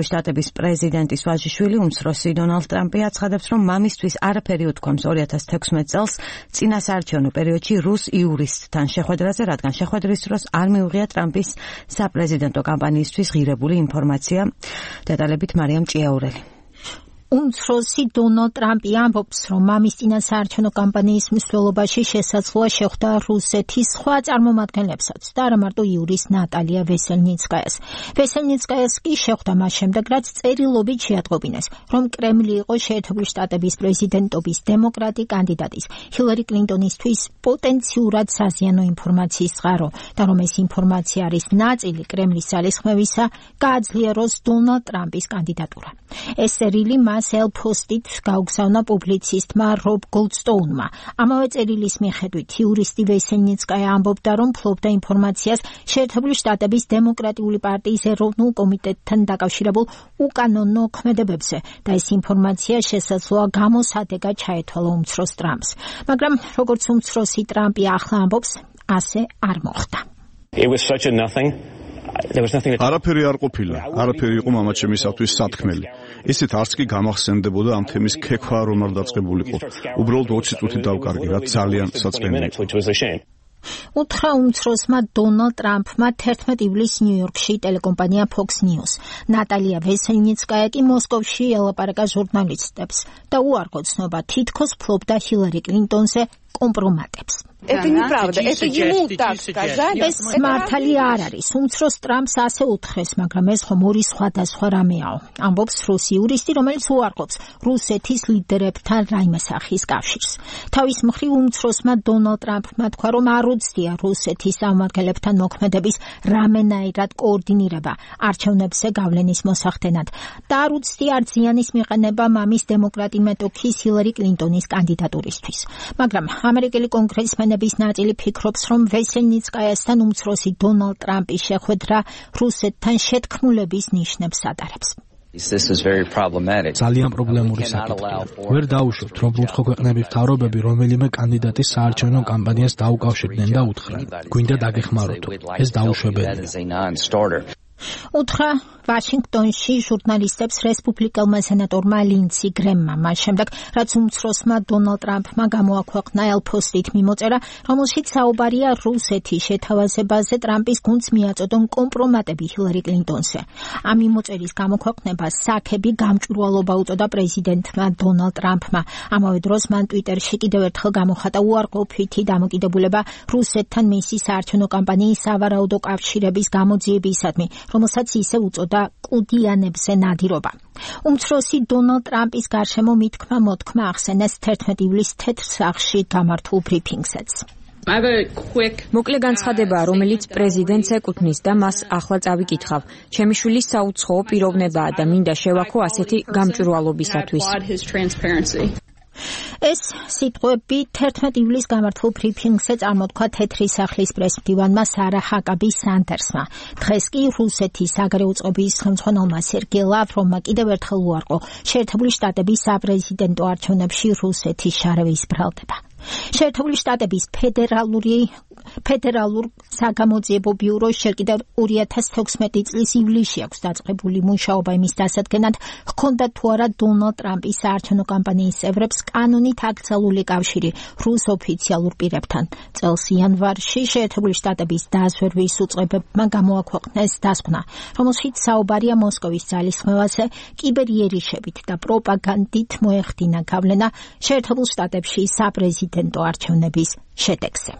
შტატების პრეზიდენტის ვაჟიშვილი უმცროსი დონალდ ტრამპი აცხადებს, რომ მამისთვის არაფერი უთქვამს 2016 წელს წინა საარჩევნო პერიოდში რუს იურისტთან შეხვედრაზე, რადგან შეხვედრის დროს არ მიუღია ტრამპის საპრეზიდენტო კამპანიისთვის ღირებული ინფორმაცია. დეტალებით მარიამ ჭიაურელი. უმცროსი დონალდ ტრამპი ამბობს, რომ მამის წინა საარჩევნო კამპანიის მსვლელობაში შესაძლოა შეხვდა რუსეთის სხვა წარმომადგენლებსაც და არა მარტო იურის ნატალია ვესელნიცკაიას. ვესელნიცკაიას კი შეხვდა მას შემდეგ, რაც წერილობით შეატყობინეს, რომ კრემლი იყო შეერთებული შტატების პრეზიდენტობის დემოკრატი კანდიდატის ჰილარი კლინტონისთვის პოტენციურად საზიანო ინფორმაციის წყარო და რომ ეს ინფორმაცია არის ნაწილი კრემლის ძალისხმევისა, გააძლიეროს დონალდ ტრამპის კანდიდატურა. ეს წერილი ელფოსტით გაუგზავნა პუბლიცისტმა რობ გოლდსტოუნმა. ამავე წერილის მიხედვით იურისტი ვესელნიცკაია ამბობდა, რომ ფლობდა ინფორმაციას შეერთებული შტატების დემოკრატიული პარტიის ეროვნულ კომიტეტთან დაკავშირებულ უკანონო ქმედებებზე და ეს ინფორმაცია შესაძლოა გამოსადეგად ჩაეთვალა უმცროს ტრამპს. მაგრამ როგორც უმცროსი ტრამპი ახლა ამბობს, ასე არ მოხდა. არაფერი არ ყოფილა, არაფერი იყო მამაჩემისათვის სათქმელი. ისეთ არც კი გამახსენდებოდა ამ თემის ქექვა რომ არ დაწყებულიყო. უბრალოდ 20 წუთი დავკარგი, რაც ძალიან საწმენია. უთხრა უმცროსმა დონალდ ტრამპმა 11 ივლისს ნიუ-იორკში ტელეკომპანია Fox News. ნატალია ვესელნიცკაია კი მოსკოვში ელაპარაკა ჟურნალისტებს და უარყო ცნობა თითქოს ფლობდა ჰილარი კლინტონზე კომპრომატებს. Это неправда, это ему так сказали. ეს მართალი არ არის. უმცროს ტრამპს ასე უთხრეს, მაგრამ ეს ხომ ორი სხვადასხვა რამეაო. ამბობს რუსი იურისტი, რომელიც უარყოფს რუსეთის ლიდერებთან რაიმე სახის კავშირს. თავის მხრივ უმცროსმა დონალდ ტრამპმა თქვა, რომ არ უცდია რუსეთის წარმომადგენლებთან მოქმედების რამენაირად კოორდინირება არჩევნებზე გავლენის მოსახდენად და არ უცდია არც ზიანის მიყენება მამის დემოკრატი მეტოქის ჰილარი კლინტონის კანდიდატურისთვის. მაგრამ ამერიკელი კონგრესმენი ნაწილი ფიქრობს, რომ ვესელნიცკაიასთან უმცროსი დონალდ ტრამპის შეხვედრა რუსეთთან შეთქმულების ნიშნებს ატარებს. ძალიან პრობლემური საკითხია. ვერ დაუშვებთ, რომ უცხო ქვეყნების მთავრობები რომელიმე კანდიდატის საარჩევნო კამპანიას დაუკავშირდნენ და უთხრან, გვინდა დაგეხმაროთ. ეს დაუშვებელია. უთხრა ვაშინგტონში ჟურნალისტებს რესპუბლიკელმა სენატორმა ლინდსი გრემმა, მას შემდეგ, რაც უმცროსმა დონალდ ტრამპმა გამოაქვეყნა ელფოსტით მიმოწერა, რომელშიც საუბარია რუსეთის შეთავაზებაზე ტრამპის გუნდს მიაწოდონ კომპრომატები ჰილარი კლინტონზე. ამ მიმოწერის გამოქვეყნებას საქები გამჭვირვალობა უწოდა პრეზიდენტმა დონალდ ტრამპმა. ამავე დროს მან ტვიტერში კიდევ ერთხელ გამოხატა უარყოფითი დამოკიდებულება რუსეთთან მისი საარჩევნო კამპანიის სავარაუდო კავშირების გამოძიებისადმი, რომელსაც ისე უწოდა კუდიანებზე ნადირობა. უმცროსი დონალდ ტრამპის გარშემო მითქმა-მოთქმა ახსენეს 11 ივლისს თეთრ სახლში გამართულ ბრიფინგსაც. მოკლე განცხადებაა, რომელიც პრეზიდენტს ეკუთვნის და მას ახლა წავიკითხავ. ჩემი შვილის საუცხოო პიროვნებაა და მინდა შევაქო ასეთი გამჭვირვალობისათვის. ეს სიტყვები 11 ივლისს გამართულ ბრიფინგზე წარმოთქვა თეთრი სახლის პრესმდივანმა სარა ჰაკაბი სანდერსმა. დღეს კი რუსეთის საგარეო წყობის ხელმძღვანელმა სერგეი ლავროვმა კიდევ ერთხელ უარყო შეერთებული შტატების საპრეზიდენტო არჩევნებში რუსეთის შარევის ბრალდება. შეერთებული შტატების ფედერალურ საგამოძიებო ბიუროს ჯერ კიდევ 2016 წლის ივლისში აქვს დაწყებული მუშაობა იმის დასადგენად, ჰქონდა თუ არა დონალდ ტრამპის საარჩევნო კამპანიის წევრებს კანონით აკრძალული კავშირი რუს ოფიციალურ პირებთან. წელს იანვარში შეერთებული შტატების დაზვერვის უწყებებმა გამოაქვეყნეს დასკვნა, რომელშიც საუბარია მოსკოვის ძალისხმევაზე, კიბერიერიშებით და პროპაგანდით მოეხდინა გავლენა შეერთებულ შტატებში საპრეზიდენტო არჩევნების შედეგზე.